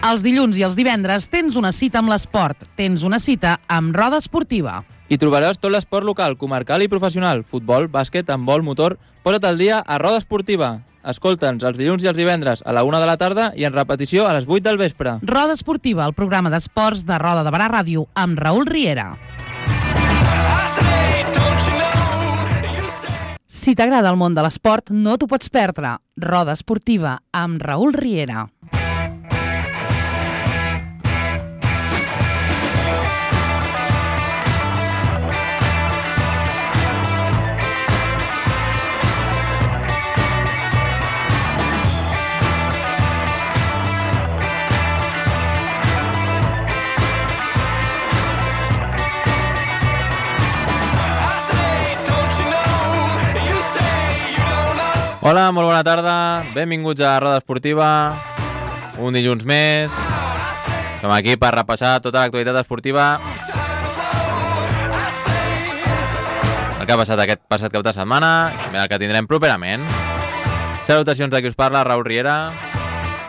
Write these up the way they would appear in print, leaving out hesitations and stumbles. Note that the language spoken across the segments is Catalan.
Els dilluns i els divendres tens una cita amb l'esport. Tens una cita amb Roda Esportiva. Hi trobaràs tot l'esport local, comarcal i professional. Futbol, bàsquet, handbol, motor... Posa't al dia a Roda Esportiva. Escolta'ns els dilluns i els divendres a la 1 de la tarda i en repetició a les 8 del vespre. Roda Esportiva, el programa d'esports de Roda de Barà Ràdio amb Raül Riera. Si t'agrada el món de l'esport, no t'ho pots perdre. Roda Esportiva amb Raül Riera. Hola, molt bona tarda, benvinguts a Roda Esportiva, un dilluns més. Som aquí per repassar tota l'actualitat esportiva. El que ha passat aquest passat cap de setmana i també el que tindrem properament. Salutacions de qui us parla, Raül Riera,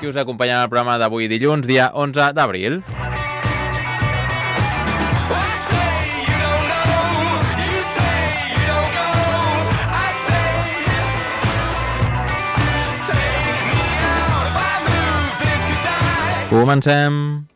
qui us acompanya en el programa d'avui dilluns, dia 11 d'abril. Comencem.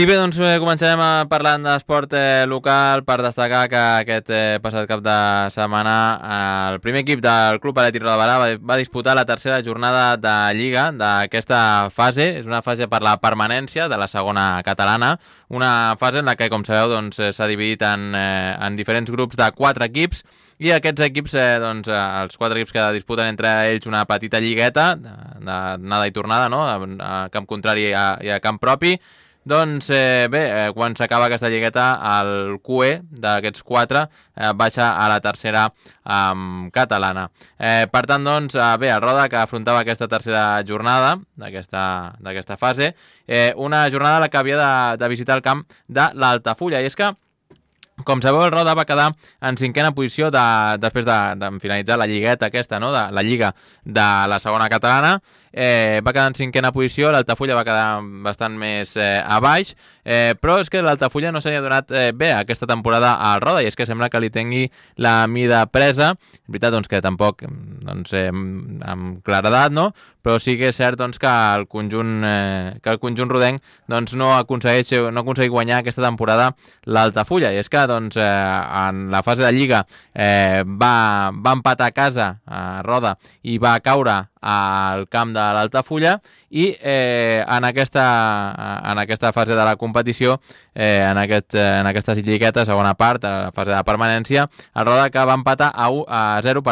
I bé, doncs començarem parlant d'esport local per destacar que aquest passat cap de setmana el primer equip del Club Atlètic Roda de Barà va disputar la tercera jornada de Lliga d'aquesta fase. És una fase per la permanència de la segona catalana, una fase en la que, com sabeu, doncs, s'ha dividit en diferents grups de 4 equips i aquests equips, doncs, els 4 equips que disputen entre ells una petita lligueta d'anada i tornada, no? A camp contrari i a camp propi. Doncs bé, quan s'acaba aquesta lligueta, el QE d'aquests 4 baixa a la tercera catalana. Per tant, doncs, bé, el Roda que afrontava aquesta tercera jornada d'aquesta fase, una jornada a la que havia de visitar el camp de l'Altafulla. I és que, com sabeu, el Roda va quedar en 5a posició després de finalitzar la lligueta aquesta, no? De la Lliga de la segona catalana. Va quedar en 5a posició, l'Altafulla va quedar bastant més a baix, però és que l'Altafulla no se n'hi ha donat bé aquesta temporada al Roda, i és que sembla que li tingui la mida presa. És veritat, doncs, que tampoc amb claredat, no? Però sí que és cert, doncs, que el conjunt rodenc, doncs, no ha aconseguit guanyar aquesta temporada l'Altafulla, i és que, doncs, en la fase de Lliga va empatar a casa a Roda i va caure al camp de l'Altafulla, i en aquesta fase de la competició, en aquesta lligueta, segona part, a la fase de permanència, el Roda que va empatar a 0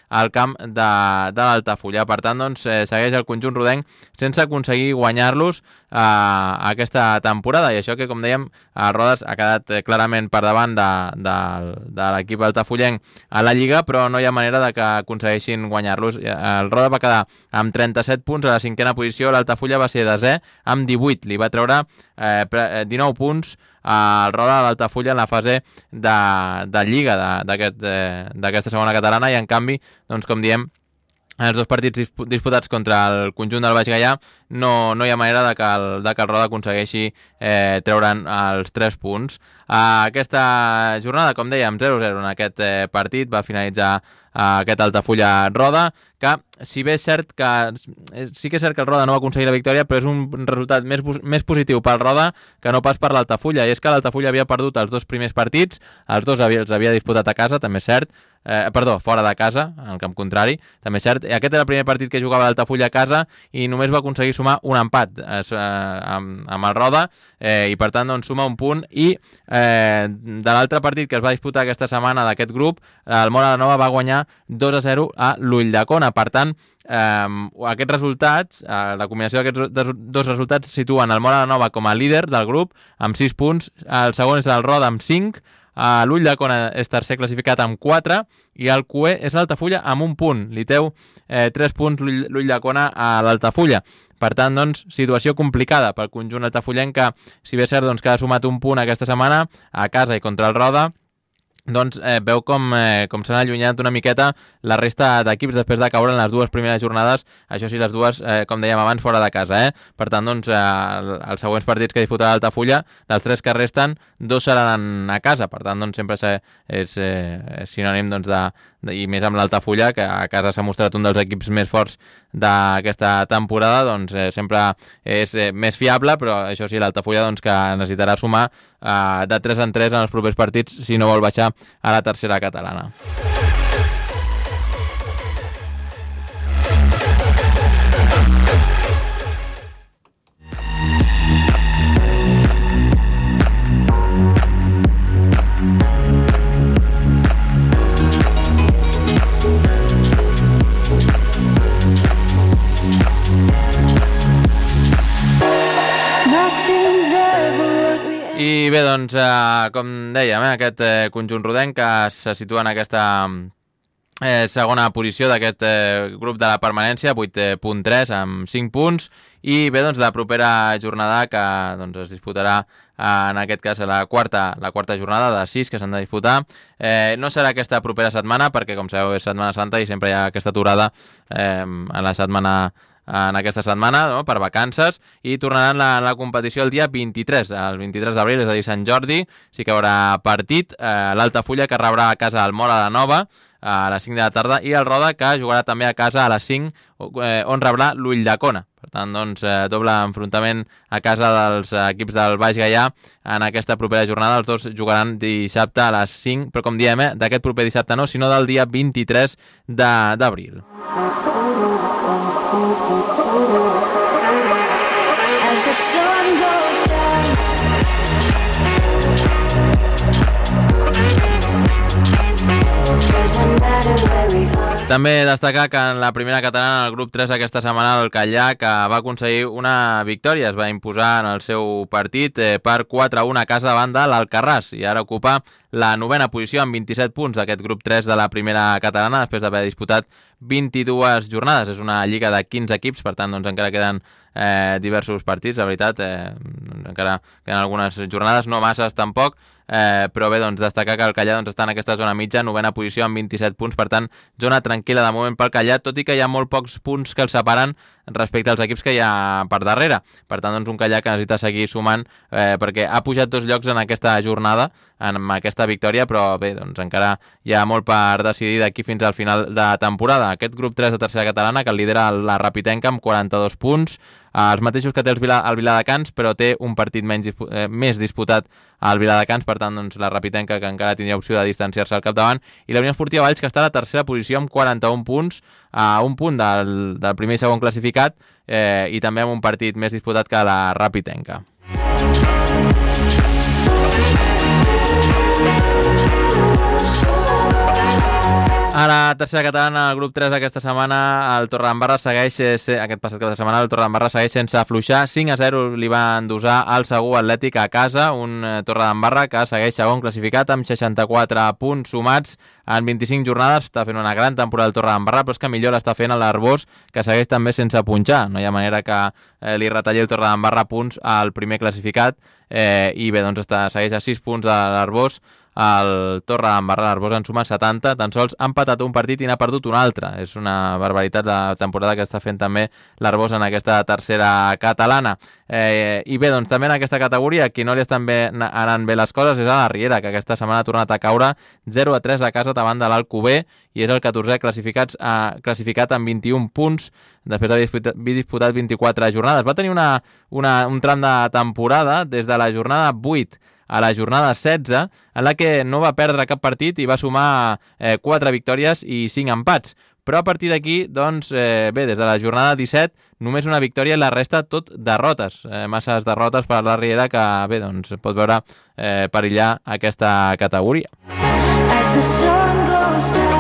al camp de l'Altafulla. Per tant, doncs, segueix el conjunt rodenc sense aconseguir guanyar-los aquesta temporada, i això que, com dèiem, el Roda ha quedat clarament per davant de l'equip altafullenc a la Lliga, però no hi ha manera de que aconsegueixin guanyar-los. El Roda va quedar amb 37 punts a la 5a posició, l'Altafulla va ser desè amb 18, li va treure 19 punts al Roda de l'Altafulla en la fase de Lliga d'aquesta segona catalana, i en canvi, doncs, com diem, en els 2 partits disputats contra el conjunt del Baix Gaià no hi ha manera de que el Roda aconsegueixi treure'n els 3 punts. Aquesta jornada, com dèiem, 0-0 en aquest partit, va finalitzar aquest Altafulla Roda, que si bé és cert que sí que és cert que el Roda no va aconseguir la victòria, però és un resultat més positiu pel Roda que no pas per l'Altafulla, i és que l'Altafulla havia perdut els 2 primers partits, els 2 els havia disputat a casa, també és cert, fora de casa, en el camp contrari, també és cert. Aquest era el primer partit que jugava l'Altafulla a casa i només va aconseguir sumar un empat amb el Roda, i per tant, doncs, suma un punt. I de l'altre partit que es va disputar aquesta setmana d'aquest grup, el Móra la Nova va guanyar 2-0 a l'Ulldecona. Per tant, Aquests resultats, la combinació d'aquests dos resultats situen el Móra la Nova com a líder del grup amb 6 punts, el segon és el Roda amb 5, l'Ulldecona és tercer classificat amb 4 i el QE és l'Altafulla amb 1 punt. Li treu 3 punts l'Ulldecona a l'Altafulla. Per tant, doncs, situació complicada pel conjunt altafullenc que, si bé és cert que ha sumat 1 punt aquesta setmana a casa i contra el Roda, doncs veu com s'han allunyat una miqueta la resta d'equips després de caure en les dues primeres jornades, això sí, les dues, com dèiem abans, fora de casa. Per tant, doncs, els següents partits que disputarà l'Altafulla, dels 3 que resten, 2 seran a casa. Per tant, doncs, sempre és sinònim i més amb l'Altafulla, que a casa s'ha mostrat un dels equips més forts d'aquesta temporada, doncs sempre és més fiable, però això sí, l'Altafulla que necessitarà sumar de 3 en 3 en els propers partits si no vol baixar a la tercera catalana. I bé, doncs, com dèiem, aquest conjunt rodenc que se situa en aquesta segona posició d'aquest grup de la permanència, 8.3 amb 5 punts, i bé, doncs, la propera jornada que es disputarà en aquest cas la quarta jornada de 6 que s'han de disputar. No serà aquesta propera setmana perquè, com sabeu, és Setmana Santa i sempre hi ha aquesta aturada en aquesta setmana, no?, per vacances, i tornaran la competició el dia 23, el 23 d'abril, és a dir, Sant Jordi, sí que hi haurà partit, l'Altafulla que rebrà a casa el Móra la Nova a les 5 de la tarda i el Roda que jugarà també a casa a les 5 on rebrà l'Ulldecona. Per tant, doncs, doble enfrontament a casa dels equips del Baix Gaià en aquesta propera jornada. Els dos jugaran dissabte a les 5, però com diem, d'aquest proper dissabte no, sinó del dia 23 d'abril. As the sun goes down, doesn't matter where we are. També destacar que en la primera catalana, el grup 3 aquesta setmana, el Callà, que va aconseguir una victòria, es va imposar en el seu partit per 4-1 a casa davant de l'Alcarràs i ara ocupa la 9ª posició amb 27 punts d'aquest grup 3 de la primera catalana després d'haver disputat 22 jornades. És una lliga de 15 equips, per tant, doncs, encara queden diversos partits, la veritat, encara queden algunes jornades, no masses tampoc, però bé, doncs, destacar que el Callà està en aquesta zona mitja, 9ª posició amb 27 punts, per tant, zona tranquil·la de moment pel Callà, tot i que hi ha molt pocs punts que el separen respecte als equips que hi ha per darrere. Per tant, doncs, un Callà que necessita seguir sumant perquè ha pujat 2 llocs en aquesta jornada, amb aquesta victòria, però bé, doncs encara hi ha molt per decidir d'aquí fins al final de temporada. Aquest grup 3 de tercera catalana que el lidera la Rapitenca amb 42 punts, els mateixos que té el Viladecans, però té un partit més disputat al Viladecans, per tant, doncs, la Rapitenca que encara tindria opció de distanciar-se al capdavant, i la Unió Esportiva Valls que està a la tercera posició amb 41 punts, a un punt del primer i segon classificat, i també amb un partit més disputat que la Rapitenca. A la tercera catalana, el grup 3 aquesta setmana, el Torredembarra segueix, aquest passat cap de setmana, el Torredembarra segueix sense afluixar. 5-0 li va endosar al Segur Atlètic a casa, un Torredembarra que segueix segon classificat amb 64 punts sumats en 25 jornades. Està fent una gran temporada el Torredembarra, però és que millor l'està fent l'Arbós, que segueix també sense punxar. No hi ha manera que li retalli el Torredembarra punts al primer classificat, i bé, doncs segueix a 6 punts de l'Arbós. El Torredembarra, l'Arbós en suma 70, tan sols ha empatat un partit i n'ha perdut un altre. És una barbaritat la temporada que està fent també l'Arbós en aquesta tercera catalana. I bé, doncs també en aquesta categoria, qui no li estan anant bé les coses és a la Riera, que aquesta setmana ha tornat a caure 0-3 a casa davant de l'Alcover i és el 14è classificat amb 21 punts després d'haver disputat 24 jornades. Va tenir un tram de temporada des de la jornada 8 a la jornada 16, en la que no va perdre cap partit i va sumar 4 victòries i 5 empats. Però a partir d'aquí, doncs, bé, des de la jornada 17, només una victòria i la resta tot derrotes. Masses derrotes per la Riera que, bé, doncs, pot veure perillar aquesta categoria. As the sun goes down,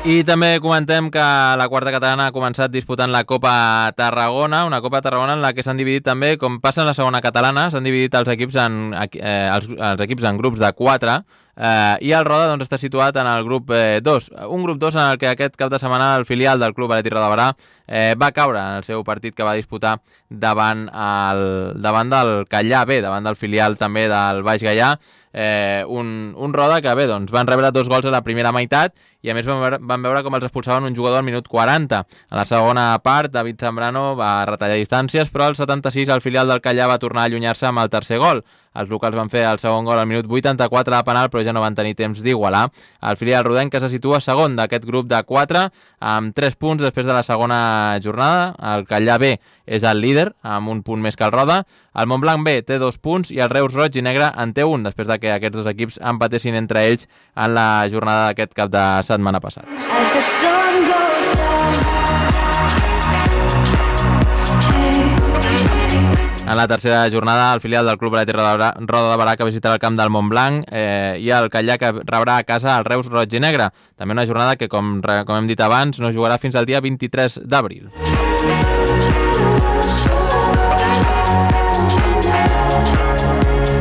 I també comentem que la quarta catalana ha començat disputant la Copa Tarragona, una Copa Tarragona en la que s'han dividit també, com passa en la segona catalana, s'han dividit els equips els equips en grups de 4, i el Roda doncs, està situat en el grup 2. Un grup 2 en el que aquest cap de setmana el filial del Club Atlètic Roda de Barà va caure en el seu partit que va disputar davant del Callà B, davant del filial també del Baix Gaià, un Roda que bé, doncs, van rebre 2 gols a la primera meitat i a més van veure com els expulsaven un jugador al minut 40. A la segona part, David Zambrano va retallar distàncies, però al 76 el filial del Callà va tornar a allunyar-se amb el tercer gol. Els locals van fer el segon gol al minut 84 a penal, però ja no van tenir temps d'igualar. El filial rodenc que se situa segon d'aquest grup de 4, amb 3 punts després de la segona jornada. El Callà B és el líder, amb un punt més que el Roda. El Montblanc B té 2 punts i el Reus Roig i Negre en té 1, després de que aquests dos equips empatessin entre ells en la jornada d'aquest cap de setmana passat. En la tercera jornada, el filial del Club Atlètic Roda de Barà que visitarà el camp del Montblanc i el Callà que rebrà a casa el Reus Roig i Negre. També una jornada que, com hem dit abans, no jugarà fins al dia 23 d'abril.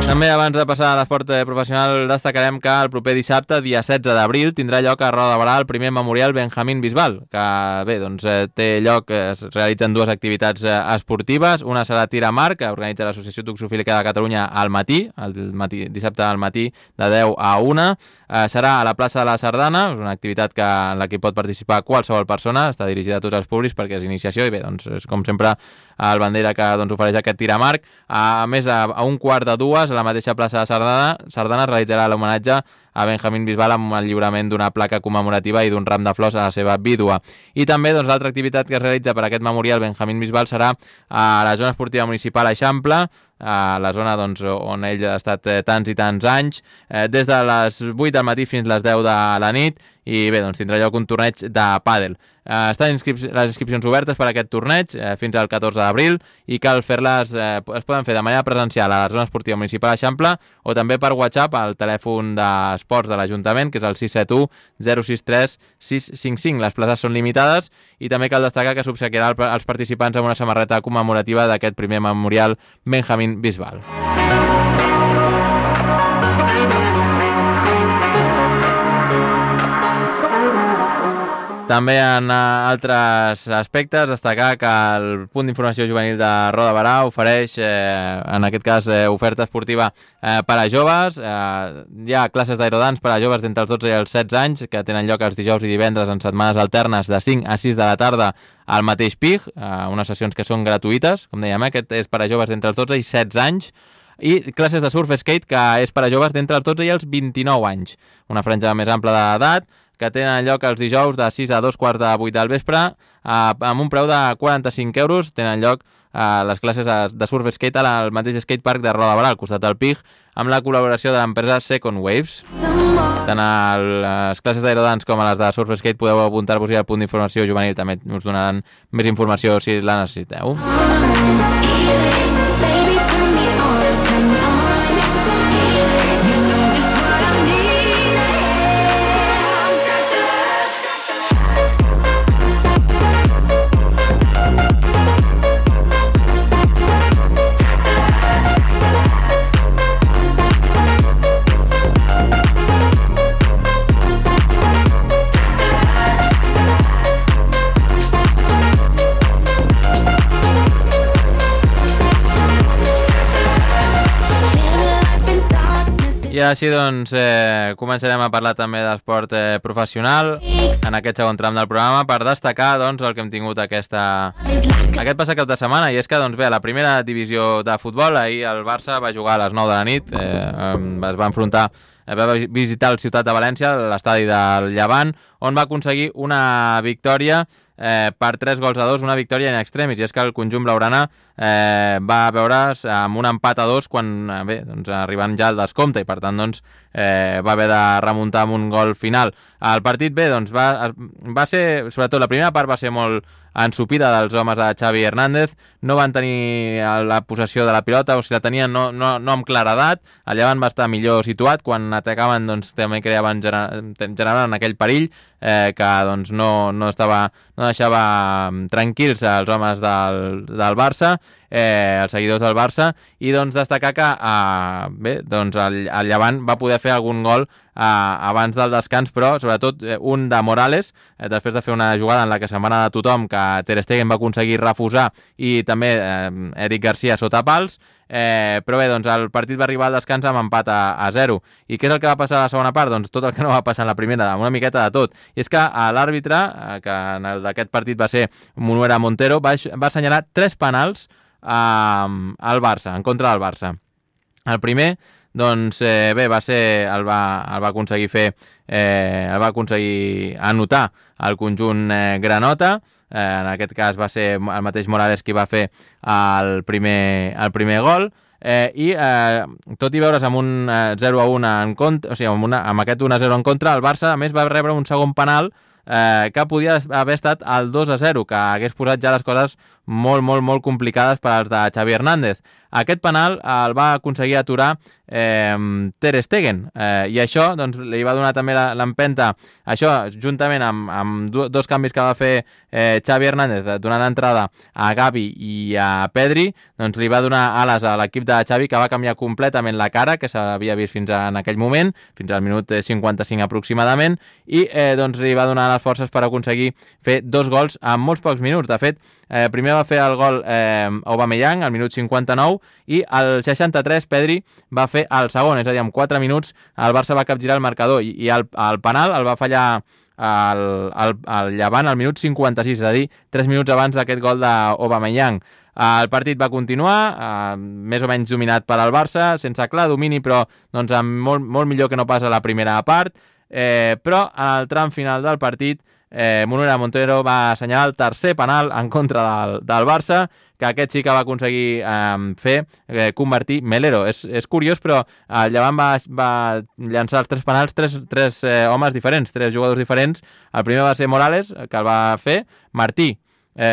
També abans de passar a l'esport professional destacarem que el proper dissabte, dia 16 d'abril, tindrà lloc a Roda de Barà el primer memorial Benjamín Bisbal, que bé, doncs, té lloc, es realitzen 2 activitats esportives. Una serà tir amb arc, que organitza l'Associació Toxofílica de Catalunya al matí, dissabte al matí de 10 a 1. Serà a la plaça de la Sardana, és una activitat en la que pot participar qualsevol persona, està dirigida a tots els públics perquè és iniciació i bé, doncs és com sempre el Bandera que doncs, ofereix aquest tir amb arc. A més, a 1:15 a la mateixa plaça de Sardana es realitzarà l'homenatge a Benjamín Bisbal amb el lliurament d'una placa commemorativa i d'un ram de flors a la seva vídua. I també doncs, l'altra activitat que es realitza per aquest memorial Benjamín Bisbal serà a la zona esportiva municipal Eixample, a la zona doncs, on ell ha estat tants i tants anys, des de les 8 del matí fins a les 10 de la nit, i bé, doncs tindrà lloc un torneig de pàdel. Estan les inscripcions obertes per a aquest torneig fins al 14 d'abril i cal fer-les, es poden fer de manera presencial a la zona esportiva municipal Eixample o també per WhatsApp al telèfon d'esports de l'Ajuntament, que és el 671 063 655. Les places són limitades i també cal destacar que s'obsequiarà als participants amb una samarreta commemorativa d'aquest primer memorial Benjamín Bisbal. També en altres aspectes destacar que el punt d'informació juvenil de Roda de Barà ofereix, en aquest cas, oferta esportiva per a joves. Hi ha classes d'aerodans per a joves d'entre els 12 i els 16 anys que tenen lloc els dijous i divendres en setmanes alternes de 5 a 6 de la tarda al mateix PIG, unes sessions que són gratuïtes, com dèiem, aquest és per a joves d'entre els 12 i 16 anys, i classes de surf skate que és per a joves d'entre els 12 i els 29 anys, una franja més ampla d'edat, que tenen lloc els dijous de 6 a 2:15 del vespre, amb un preu de 45 euros. Tenen lloc les classes de surf skate al mateix skatepark de Roda de Barà, al costat del PIG, amb la col·laboració de l'empresa Second Waves. Tant a les classes d'aerodans com a les de surf skate podeu apuntar-vos-hi al punt d'informació juvenil, també us donaran més informació si la necessiteu. I així doncs començarem a parlar també d'esport professional en aquest segon tram del programa per destacar doncs, el que hem tingut aquest passat cap de setmana, i és que doncs, bé, a la primera divisió de futbol ahir el Barça va jugar a les 9 de la nit, es va enfrontar, va visitar el Ciutat de València, l'estadi del Llevant, on va aconseguir una victòria per 3-2, una victòria in extremis, i és que el conjunt blaugrana va veure's amb un empat a 2 quan, arribant ja al descompte, i per tant va haver de remuntar amb un gol final. El partit va ser, sobretot la primera part va ser molt ensupida dels homes de Xavi Hernández, no van tenir la possessió de la pilota, o si la tenien no amb claredat, el Llevant va estar millor situat, quan atacaven també generaven aquell perill que no deixava tranquils els homes del Barça, els seguidors del Barça, i destacar que el Llevant va poder fer algun gol abans del descans, però sobretot un de Morales, després de fer una jugada en la que se'n va anar de tothom, que Ter Stegen va aconseguir refusar, i també Eric Garcia sota pals, però bé, el partit va arribar al descans amb empat a 0. I què és el que va passar a la segona part? Tot el que no va passar en la primera, una miqueta de tot. I és que l'àrbitre, que en el d'aquest partit va ser Munuera Montero, va assenyalar 3 penals al Barça, en contra del Barça. El primer, va ser, el va aconseguir fer, el va aconseguir anotar el conjunt granota. En aquest cas va ser el mateix Morales qui va fer el primer gol, i tot i veure's amb un 0-1 en contra, o sigui, amb aquest 1-0 en contra, el Barça a més va rebre un segon penal que podia haver estat el 2-0, que hagués posat ja les coses molt, molt, molt complicades per als de Xavi Hernández. Aquest penal el va aconseguir aturar Ter Stegen, i això li va donar també l'empenta, això juntament amb dos canvis que va fer Xavi Hernández, donant entrada a Gavi i a Pedri, li va donar ales a l'equip de Xavi, que va canviar completament la cara que s'havia vist fins en aquell moment, fins al minut 55 aproximadament, i li va donar les forces per aconseguir fer 2 gols en molts pocs minuts. De fet, primer va fer el gol Aubameyang al minut 59, i al 63 Pedri va fer el segon, és a dir, en 4 minuts el Barça va capgirar el marcador, i el penal el va fallar el Llevant al minut 56, és a dir, 3 minuts abans d'aquest gol d'Aubameyang. El partit va continuar, més o menys dominat per al Barça, sense clar domini, però molt millor que no pas a la primera part, però en el tram final del partit Munuera Montero va assenyalar el tercer penal en contra del Barça, que aquest sí que va aconseguir convertir Melero. És curiós, però el Llevant va llançar els 3 penals, tres homes diferents, 3 jugadors diferents. El primer va ser Morales, que el va fer,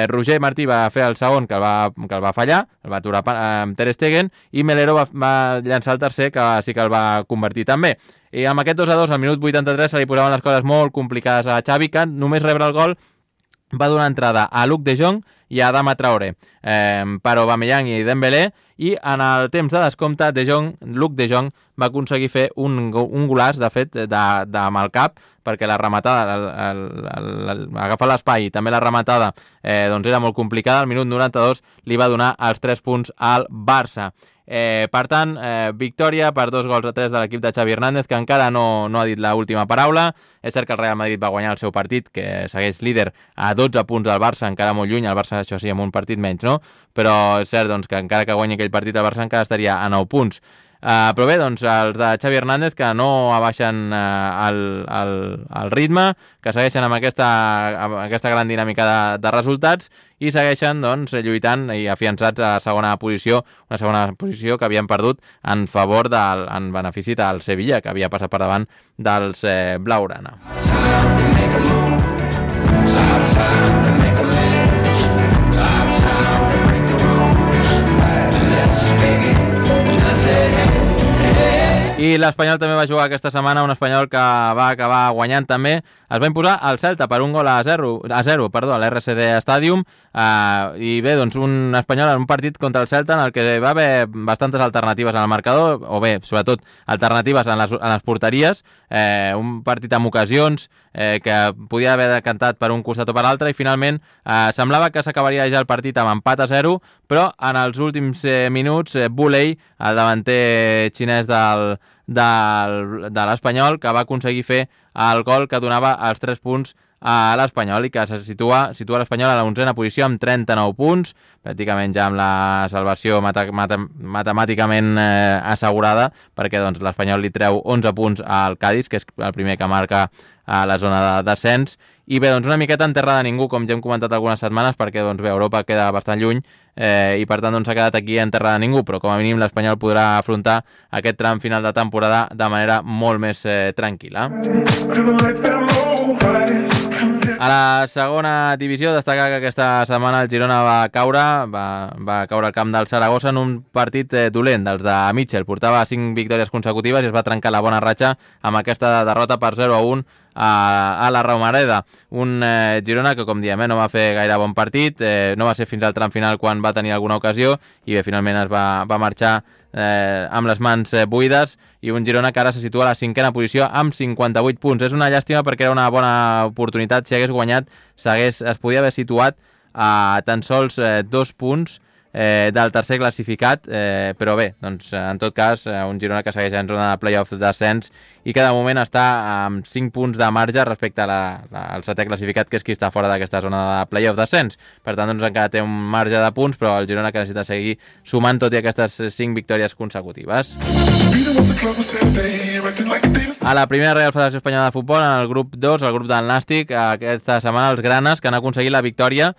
Roger Martí va fer el segon, que el va fallar, el va aturar Ter Stegen, i Melero va llançar el tercer, que sí que el va convertir també. I amb aquest 2-2 al minut 83 se li posaven les coses molt complicades a Xavi, que només rebre el gol va donar entrada a Luc de Jong i a Adama Traoré per Aubameyang i Dembélé, i en el temps de descompte Luc de Jong va aconseguir fer un golaç, de fet, amb el cap, perquè la rematada, agafar l'espai i també la rematada era molt complicada. Al minut 92 li va donar els 3 punts al Barça. Per tant, victòria per 2-3 de l'equip de Xavi Hernández, que encara no ha dit l'última paraula. És cert que el Real Madrid va guanyar el seu partit, que segueix líder a 12 punts del Barça, encara molt lluny, el Barça això sí, amb un partit menys, no? Però és cert que encara que guanyi aquell partit el Barça encara estaria a 9 punts. Però bé, els de Xavi Hernández, que no abaixen el ritme, que segueixen amb aquesta gran dinàmica de resultats, i segueixen lluitant i afiançats a la segona posició, una segona posició que havien perdut en benefici del Sevilla, que havia passat per davant dels blaugrana. I l'Espanyol també va jugar aquesta setmana, un Espanyol que va acabar guanyant també. Es va imposar al Celta per un gol a 0 a l'RCD Stadium, i bé, un Espanyol en un partit contra el Celta en el que va haver bastantes alternatives en el marcador, o bé, sobretot, alternatives en les porteries, un partit amb ocasions que podia haver decantat per un costat o per l'altre, i finalment semblava que s'acabaria ja el partit amb empat a 0, però en els últims minuts Buley, el davanter xinès de l'Espanyol, que va aconseguir fer el gol que donava els 3 punts a l'Espanyol, i que se situa l'Espanyol a la 11a posició amb 39 punts, pràcticament ja amb la salvació matemàticament assegurada, perquè l'Espanyol li treu 11 punts al Cádiz, que és el primer que marca a la zona de descens, I bé, doncs una miqueta en terra de ningú, com ja hem comentat algunes setmanes, perquè doncs bé, Europa queda bastant lluny i per tant doncs s'ha quedat aquí en terra de ningú, però com a mínim l'Espanyol podrà afrontar aquest tram final de temporada de manera molt més tranquil·la. A la segona divisió, destacar que aquesta setmana el Girona va caure al camp del Saragossa en un partit dolent dels de Mitchell. Portava 5 victòries consecutives i es va trencar la bona ratxa amb aquesta derrota per 0-1 a la Romareda. Un Girona que, com diem, no va fer gaire bon partit, no va ser fins al tram final quan va tenir alguna ocasió i bé, finalment es va marxar amb les mans buides, i un Girona que ara se situa a la 5a posició amb 58 punts. És una llàstima perquè era una bona oportunitat. Si hagués guanyat es podia haver situat a tan sols 2 punts del tercer classificat, però bé, doncs en tot cas un Girona que segueix en zona de play-off d'ascens i que de moment està amb 5 punts de marge respecte al setè classificat, que és qui està fora d'aquesta zona de play-off d'ascens. Per tant, doncs encara té un marge de punts, però el Girona que necessita seguir sumant tot i aquestes 5 victòries consecutives. A la primera Real Federació Espanyola de Futbol, en el grup 2, el grup del Nàstic, aquesta setmana els granes, que han aconseguit la victòria,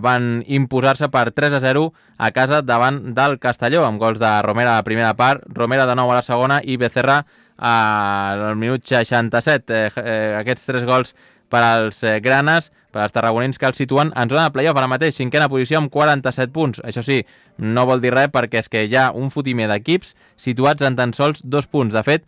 van imposar-se per 3-0 a casa davant del Castelló, amb gols de Romera a la primera part, Romera de nou a la segona i Becerra al minut 67. Aquests 3 gols per als granes, per als tarragonins, que els situen en zona de play-off ara mateix, 5a posició amb 47 punts. Això sí, no vol dir res perquè és que hi ha un fotimer d'equips situats en tan sols 2 punts. De fet,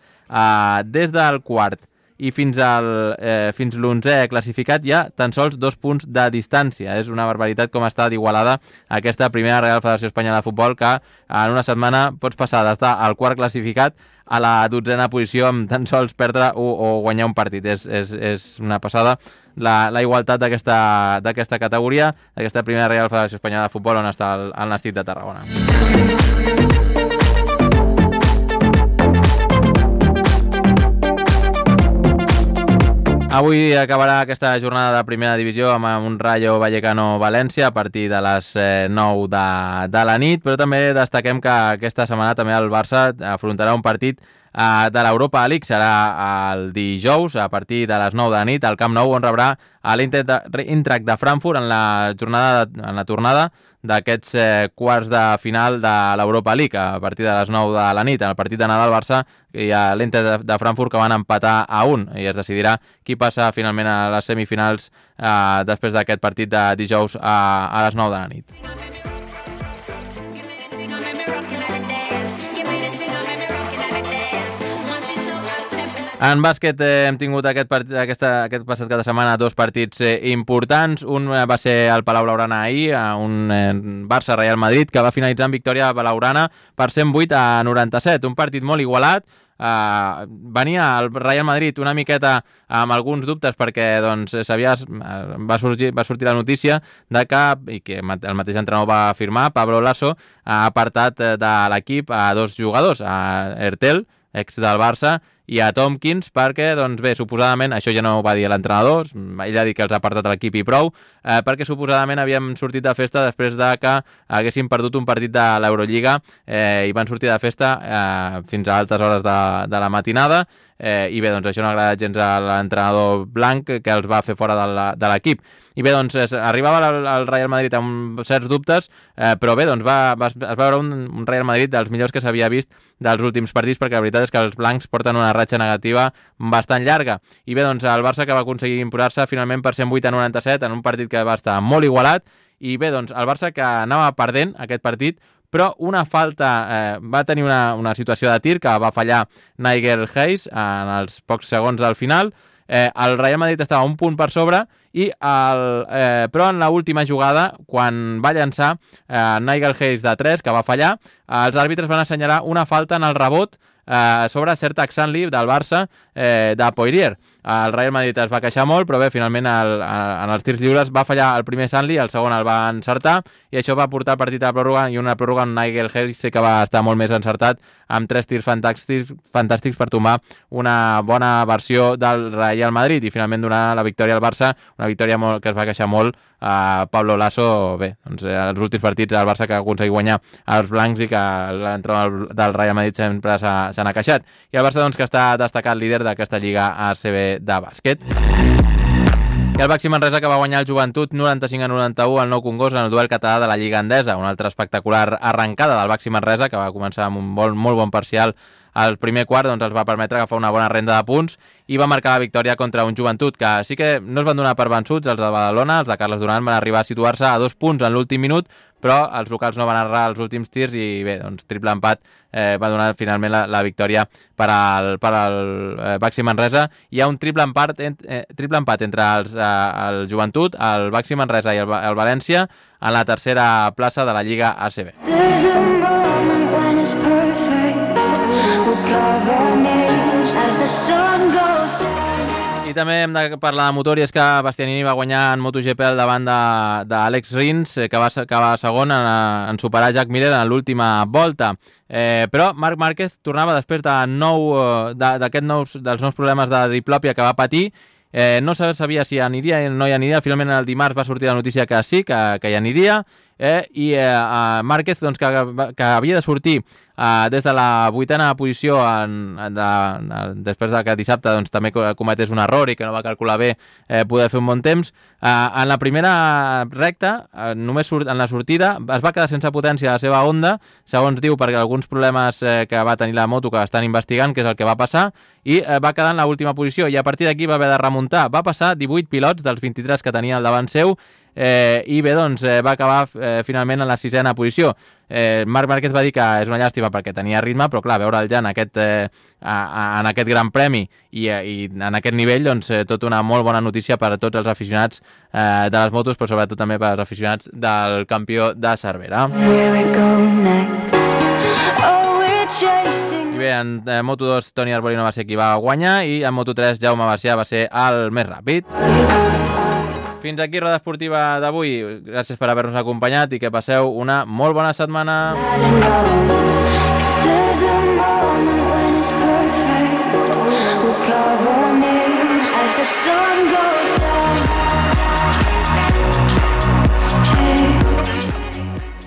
des del quart i fins l'11è classificat hi ha tan sols 2 punts de distància. És una barbaritat com està d'igualada aquesta primera Real Federació Espanyola de Futbol, que en una setmana pots passar d'estar al quart classificat a la 12a posició amb tan sols perdre o guanyar un partit. És una passada la igualtat d'aquesta categoria, d'aquesta primera Real Federació Espanyola de Futbol, on està el Nàstic de Tarragona. Avui acabarà aquesta jornada de primera divisió amb un Rayo Vallecano-València a partir de les 9 de la nit, però també destaquem que aquesta setmana també el Barça afrontarà un partit de l'Europa League. Serà el dijous a partir de les 9 de la nit al Camp Nou, on rebrà l'Eintracht de Frankfurt en la tornada d'aquests quarts de final de l'Europa League a partir de les 9 de la nit. En el partit d'anar del Barça hi ha l'Eintracht de Frankfurt, que van empatar a 1, i es decidirà qui passa finalment a les semifinals després d'aquest partit de dijous a les 9 de la nit. En bàsquet hem tingut aquest passat cada setmana 2 partits importants. Un va ser al Palau Blaugrana ahir, un Barça-Real Madrid, que va finalitzar en victòria blaugrana per 108-97. Un partit molt igualat. Venia el Real Madrid una miqueta amb alguns dubtes perquè doncs, va sortir la notícia de que el mateix entrenador va afirmar, Pablo Lasso, ha apartat de l'equip a 2 jugadors, a Ertel, ex del Barça, i a Tompkins, perquè, doncs bé, suposadament, això ja no ho va dir l'entrenador, ell ha dit que els ha apartat a l'equip i prou, perquè suposadament havíem sortit de festa després de que haguéssim perdut un partit de l'Eurolliga i van sortir de festa fins a altes hores de la matinada, i bé, doncs això no ha agradat gens a l'entrenador blanc, que els va fer fora de l'equip. I bé, doncs arribava el Real Madrid amb certs dubtes, però bé, doncs es va veure un Real Madrid dels millors que s'havia vist dels últims partits, perquè la veritat és que els blancs porten una ratxa negativa bastant llarga. I bé, doncs el Barça, que va aconseguir imposar-se finalment per 108-97 en un partit que va estar molt igualat, i bé, doncs el Barça, que anava perdent aquest partit, però una falta, va tenir una situació de tir que va fallar Nigel Hayes en els pocs segons del final. El Real Madrid estava un punt per sobre, però en l'última jugada, quan va llançar Nigel Hayes de 3, que va fallar, els àrbitres van assenyalar una falta en el rebot sobre Sertac Sanli del Barça de Poirier. El Real Madrid es va queixar molt, però bé, finalment en els tirs lliures va fallar el primer Sanli, el segon el va encertar, i això va portar el partit a la pròrroga, i una pròrroga on Nigel Hayes que va estar molt més encertat, amb 3 tirs fantàstics per tombar una bona versió del Real Madrid, i finalment donar la victòria al Barça, una victòria que es va queixar molt a Pablo Lasso. Bé, doncs els últims partits del Barça que ha aconseguit guanyar als blancs i que l'entrenador del Real Madrid sempre se n'ha queixat. I el Barça, doncs, que està destacat líder d'aquesta Lliga ACB de bàsquet. I el Baxi Manresa, que va guanyar el Joventut 95-91 al Nou Congost en el duel català de la Lliga Endesa. Una altra espectacular arrencada del Baxi Manresa, que va començar amb un molt bon parcial al primer quart, doncs els va permetre agafar una bona renda de punts i va marcar la victòria contra un Joventut que sí que no es van donar per vençuts. Els de Badalona, els de Carles Duran, van arribar a situar-se a 2 punts en l'últim minut, però els locals no van errar els últims tirs i bé, doncs triple empat va donar finalment la victòria per al Baxi Manresa. Hi ha un triple empat entre el Joventut, el Baxi Manresa i el València en la tercera plaça de la Lliga ACB. I també hem de parlar de motor, i és que Bastianini va guanyar en MotoGP al davant d'Àlex Rins, que va segon en superar Jack Miller en l'última volta. Però Marc Márquez tornava després dels nous problemes de diplòpia que va patir. No se sabia si aniria o no hi aniria. Finalment el dimarts va sortir la notícia que sí, que hi aniria, i Márquez, doncs, que havia de sortir des de la 8a posició després que dissabte doncs, també cometés un error i que no va calcular bé poder fer un bon temps. En la primera recta, només en la sortida, es va quedar sense potència a la seva Honda, segons diu, perquè alguns problemes que va tenir la moto que estan investigant, que és el que va passar, i va quedar en l'última posició, i a partir d'aquí va haver de remuntar. Va passar 18 pilots dels 23 que tenia al davant seu, i bé, doncs va acabar finalment en la 6a posició. Marc Márquez va dir que és una llàstima perquè tenia ritme, però clar, veure'l ja en aquest gran premi i en aquest nivell, doncs tot una molt bona notícia per a tots els aficionats de les motos, però sobretot també per als aficionats del campió de Cervera. I bé, en Moto2 Toni Arbolino va ser qui va guanyar, i en Moto3 Jaume Macià va ser el més ràpid. Fins aquí Roda Esportiva d'avui. Gràcies per haver-nos acompanyat i que passeu una molt bona setmana. There's a moment when it's perfect. We'll cover names as the sun